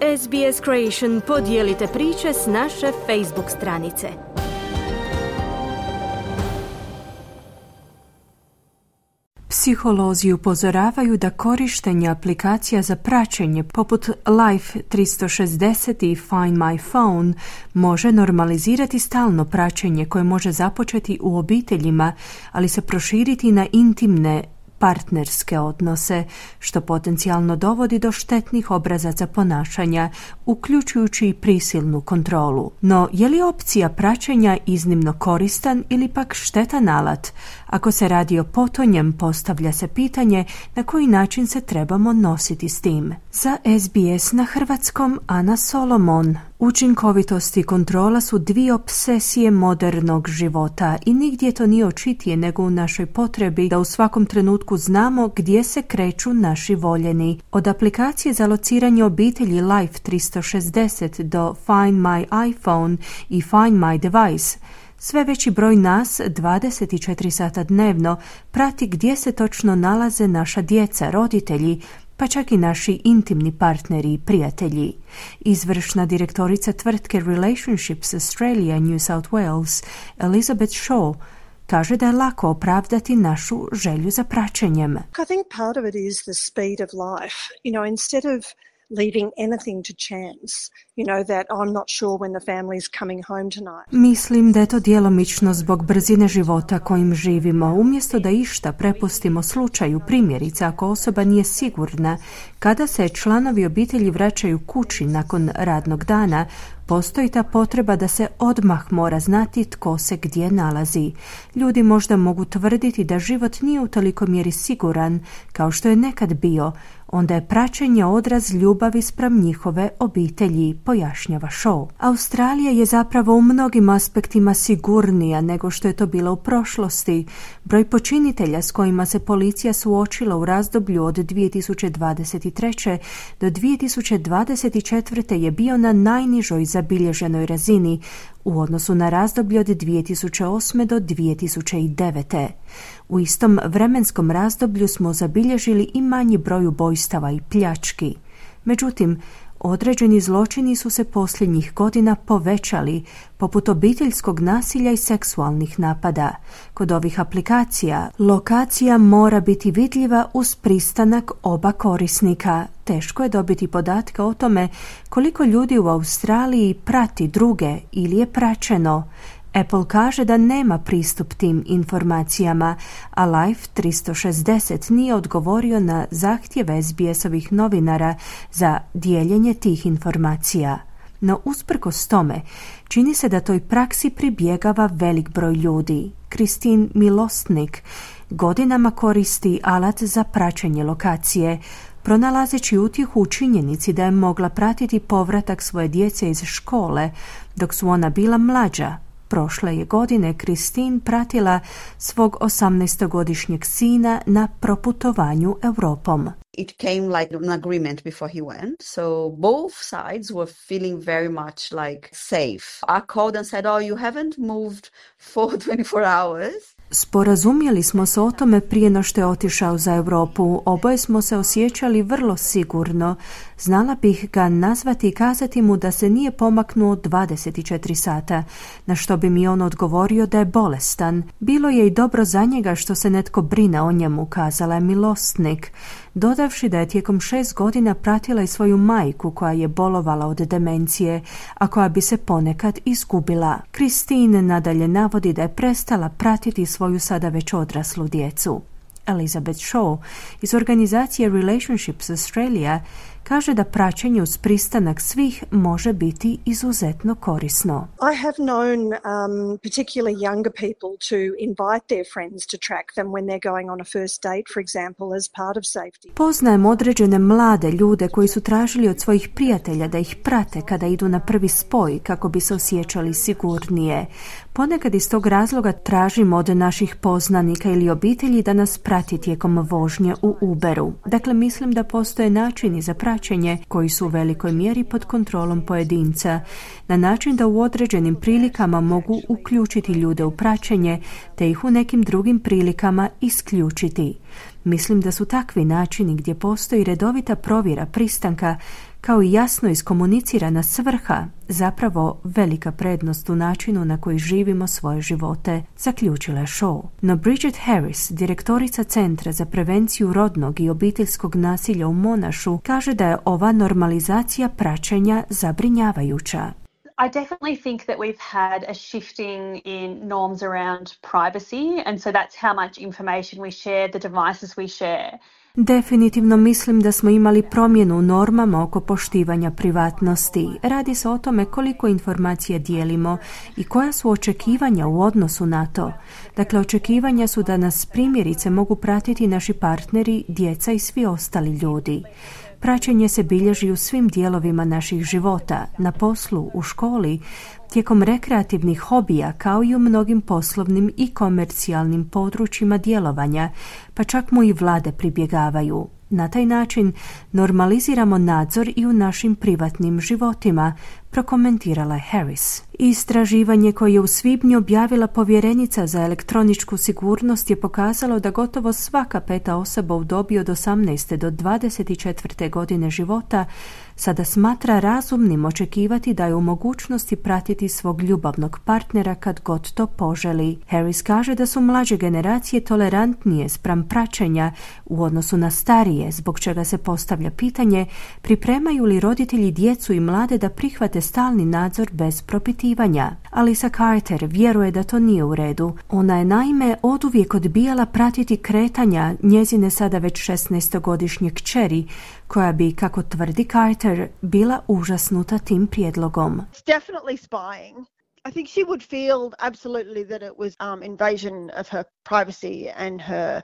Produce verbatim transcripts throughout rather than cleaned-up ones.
S B S Creation podijelite priče s naše Facebook stranice. Psiholozi upozoravaju da korištenje aplikacija za praćenje poput Life tristo šezdeset i Find My Phone može normalizirati stalno praćenje koje može započeti u obiteljima, ali se proširiti na intimne partnerske odnose, što potencijalno dovodi do štetnih obrazaca ponašanja, uključujući i prisilnu kontrolu. No, je li opcija praćenja iznimno koristan ili pak štetan alat? Ako se radi o potonjem, postavlja se pitanje na koji način se trebamo nositi s tim. Za S B S na hrvatskom Ana Solomon. Učinkovitost i kontrola su dvije obsesije modernog života i nigdje to nije očitije nego u našoj potrebi da u svakom trenutku znamo gdje se kreću naši voljeni. Od aplikacije za lociranje obitelji Life tristo šezdeset do Find My iPhone i Find My Device, sve veći broj nas dvadeset četiri sata dnevno prati gdje se točno nalaze naša djeca, roditelji, pa čak i naši intimni partneri i prijatelji. Izvršna direktorica tvrtke Relationships Australia New South Wales, Elizabeth Shaw, kaže da je lako opravdati našu želju za praćenjem. I think part of it is the speed of life. You know, instead of leaving anything to chance, you know, that I'm not sure when the family is coming home tonight. Mislim da je to djelomično zbog brzine života kojim živimo. Umjesto da išta prepustimo slučaju, primjerice ako osoba nije sigurna kada se članovi obitelji vraćaju kući nakon radnog dana, postoji ta potreba da se odmah mora znati tko se gdje nalazi. Ljudi možda mogu tvrditi da život nije u toliko mjeri siguran kao što je nekad bio, onda je praćenje odraz ljubavi spram njihove obitelji, pojašnjava Shaw. Australija je zapravo u mnogim aspektima sigurnija nego što je to bilo u prošlosti. Broj počinitelja s kojima se policija suočila u razdoblju od dvije tisuće dvadeset treće do dvije tisuće dvadeset četvrte je bio na najnižoj zabilježenoj razini u odnosu na razdoblje od dvije tisuće osme do dvije tisuće devete. U istom vremenskom razdoblju smo zabilježili i manji broj ubojstava i pljački. Međutim, određeni zločini su se posljednjih godina povećali, poput obiteljskog nasilja i seksualnih napada. Kod ovih aplikacija, lokacija mora biti vidljiva uz pristanak oba korisnika. Teško je dobiti podatke o tome koliko ljudi u Australiji prati druge ili je praćeno. Apple kaže da nema pristup tim informacijama, a Life tristo šezdeset nije odgovorio na zahtjeve S B S-ovih novinara za dijeljenje tih informacija. No usprkos tome, čini se da toj praksi pribjegava velik broj ljudi. Christine Milostnik godinama koristi alat za praćenje lokacije, pronalazeći utjehu u činjenici da je mogla pratiti povratak svoje djece iz škole dok su ona bila mlađa. Prošle je godine Christine pratila svog osamnaestogodišnjeg sina na proputovanju Europom. It came like an agreement before he went, so both sides were feeling very much like safe. I called and said, oh, you haven't moved for twenty-four hours. Sporazumjeli smo se o tome prije no što je otišao za Europu. Oboje smo se osjećali vrlo sigurno. Znala bih ga nazvati i kazati mu da se nije pomaknuo dvadeset četiri sata, na što bi mi on odgovorio da je bolestan. Bilo je i dobro za njega što se netko brine o njemu, kazala je Milostnik, dodavši da je tijekom šest godina pratila i svoju majku koja je bolovala od demencije, a koja bi se ponekad izgubila. Christine nadalje navodi da je prestala pratiti svoju sada već odraslu djecu. Elizabeth Shaw iz organizacije Relationships Australia kaže da praćenje uz pristanak svih može biti izuzetno korisno. I have known um, particularly younger people to invite their friends to track them when they're going on a first date, for example, as part of safety. Poznajem određene mlade ljude koji su tražili od svojih prijatelja da ih prate kada idu na prvi spoj kako bi se osjećali sigurnije. Ponekad iz tog razloga tražimo od naših poznanika ili obitelji da nas prati tijekom vožnje u Uberu. Dakle, mislim da postoje načini za praćenje koji su u velikoj mjeri pod kontrolom pojedinca, na način da u određenim prilikama mogu uključiti ljude u praćenje, te ih u nekim drugim prilikama isključiti. Mislim da su takvi načini gdje postoji redovita provjera pristanka kao i jasno iskomunicirana svrha, zapravo velika prednost u načinu na koji živimo svoje živote, zaključila je Shaw. No Bridget Harris, direktorica Centra za prevenciju rodnog i obiteljskog nasilja u Monašu, kaže da je ova normalizacija praćenja zabrinjavajuća. I definitely think that we've had a shifting in norms around privacy, and so that's how much information we share, the devices we share. Definitivno mislim da smo imali promjenu u normama oko poštivanja privatnosti. Radi se o tome koliko informacija dijelimo i koja su očekivanja u odnosu na to. Dakle, očekivanja su da nas primjerice mogu pratiti naši partneri, djeca i svi ostali ljudi. Praćenje se bilježi u svim dijelovima naših života, na poslu, u školi, tijekom rekreativnih hobija, kao i u mnogim poslovnim i komercijalnim područjima djelovanja, pa čak mu i vlade pribjegavaju. Na taj način normaliziramo nadzor i u našim privatnim životima, prokomentirala je Harris. Istraživanje koje je u svibnju objavila povjerenica za elektroničku sigurnost je pokazalo da gotovo svaka peta osoba u dobi od osamnaeste do dvadeset četvrte godine života sada smatra razumnim očekivati da je u mogućnosti pratiti svog ljubavnog partnera kad god to poželi. Harris kaže da su mlađe generacije tolerantnije spram praćenja u odnosu na starije, zbog čega se postavlja pitanje pripremaju li roditelji djecu i mlade da prihvate stalni nadzor bez propitivanja. Alisa Carter vjeruje da to nije u redu. Ona je naime oduvijek odbijala pratiti kretanja njezine sada već šesnaestogodišnje kćeri, koja bi, kako tvrdi Carter, bila užasnuta tim prijedlogom. It's definitely spying. I think she would feel absolutely that it was um, invasion of her privacy and her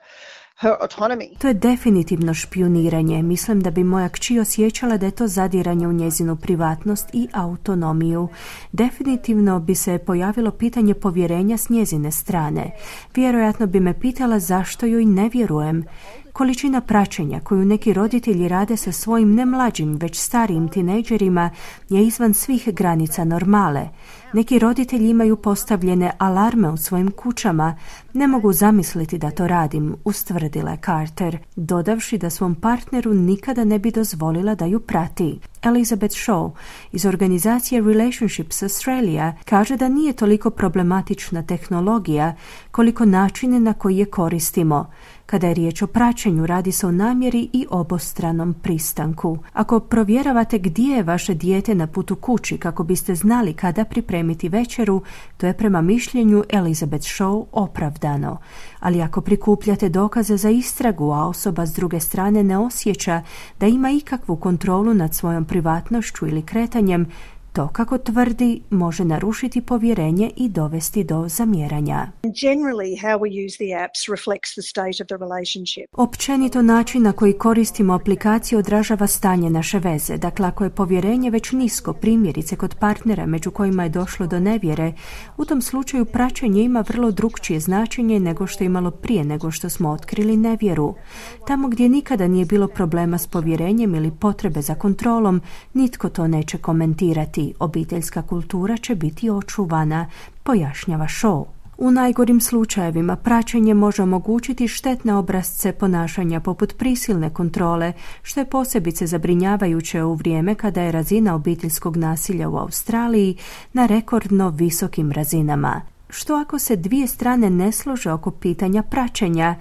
her autonomy. To je definitivno špijuniranje. Mislim da bi moja kći osjećala da je to zadiranje u njezinu privatnost i autonomiju. Definitivno bi se pojavilo pitanje povjerenja s njezine strane. Vjerojatno bi me pitala zašto joj ne vjerujem. Količina praćenja koju neki roditelji rade sa svojim ne mlađim, već starijim tinejdžerima je izvan svih granica normale. Neki roditelji imaju postavljene alarme u svojim kućama. Ne mogu zamisliti da to radim, ustvrdila je Carter, dodavši da svom partneru nikada ne bi dozvolila da ju prati. Elizabeth Shaw iz organizacije Relationships Australia kaže da nije toliko problematična tehnologija koliko načine na koji je koristimo. Kada je riječ o praćenju, radi se o namjeri i obostranom pristanku. Ako provjeravate gdje je vaše dijete na putu kući kako biste znali kada pripremiti večeru, to je prema mišljenju Elizabeth Shaw opravdano. Ali ako prikupljate dokaze za istragu, a osoba s druge strane ne osjeća da ima ikakvu kontrolu nad svojom privatnošću ili kretanjem, to, kako tvrdi, može narušiti povjerenje i dovesti do zamjeranja. Generally, how we use the apps reflects the state of the relationship. Općenito način na koji koristimo aplikaciju odražava stanje naše veze. Dakle, ako je povjerenje već nisko, primjerice kod partnera među kojima je došlo do nevjere, u tom slučaju praćenje ima vrlo drukčije značenje nego što je imalo prije nego što smo otkrili nevjeru. Tamo gdje nikada nije bilo problema s povjerenjem ili potrebe za kontrolom, nitko to neće komentirati. Obiteljska kultura će biti očuvana, pojašnjava Shaw. U najgorim slučajevima praćenje može omogućiti štetne obrasce ponašanja poput prisilne kontrole, što je posebice zabrinjavajuće u vrijeme kada je razina obiteljskog nasilja u Australiji na rekordno visokim razinama. Što ako se dvije strane ne slože oko pitanja praćenja?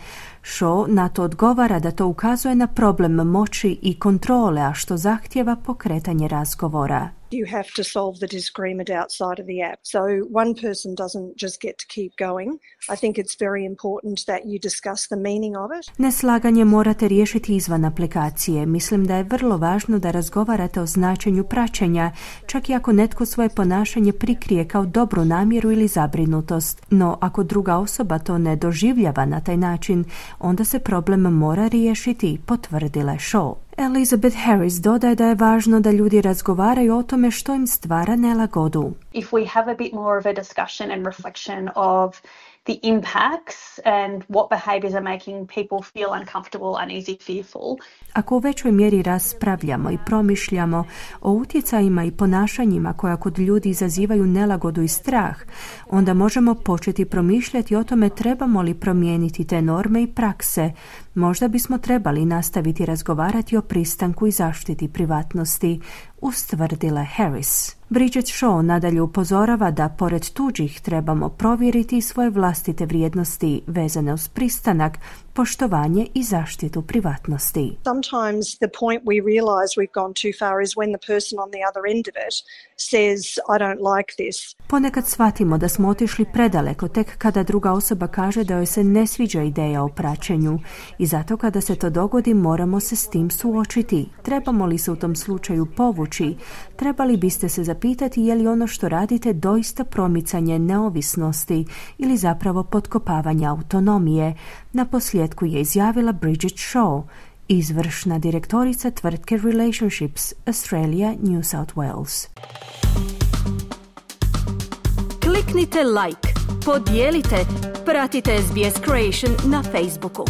Shaw na to odgovara da to ukazuje na problem moći i kontrole, a što zahtjeva pokretanje razgovora. You have to solve the disagreement outside of the app. So one person doesn't just get to keep going. I think it's very important that you discuss the meaning of it. Neslaganje morate riješiti izvan aplikacije. Mislim da je vrlo važno da razgovarate o značenju praćenja, čak i ako netko svoje ponašanje prikrije kao dobru namjeru ili zabrinutost. No, ako druga osoba to ne doživljava na taj način, onda se problem mora riješiti, potvrdila je Shaw. Elizabeth Harris dodaje da je važno da ljudi razgovaraju o tome što im stvara nelagodu. If we have a bit more of a discussion and reflection of the the impacts and what behaviours are making people feel uncomfortable, uneasy, fearful. Ako u većoj mjeri raspravljamo i promišljamo o utjecajima i ponašanjima koja kod ljudi izazivaju nelagodu i strah, onda možemo početi promišljati o tome trebamo li promijeniti te norme i prakse. Možda bismo trebali nastaviti razgovarati o pristanku i zaštiti privatnosti, ustvrdila Harris. Bridget Shaw nadalje upozorava da pored tuđih trebamo provjeriti svoje vlastite vrijednosti vezane uz pristanak, poštovanje i zaštitu privatnosti. Sometimes the point we realize we've gone too far is when the person on the other end of it says, I don't like this. Ponekad shvatimo da smo otišli predaleko tek kada druga osoba kaže da joj se ne sviđa ideja o praćenju i zato kada se to dogodi moramo se s tim suočiti. Trebamo li se u tom slučaju povući? Trebali biste se zapitati je li ono što radite doista promicanje neovisnosti ili zapravo potkopavanje autonomije. Na posljedku je izjavila Bridget Shaw, izvršna direktorica tvrtke Relationships Australia New South Wales. Kliknite like, podijelite, pratite S B S Creation na Facebooku.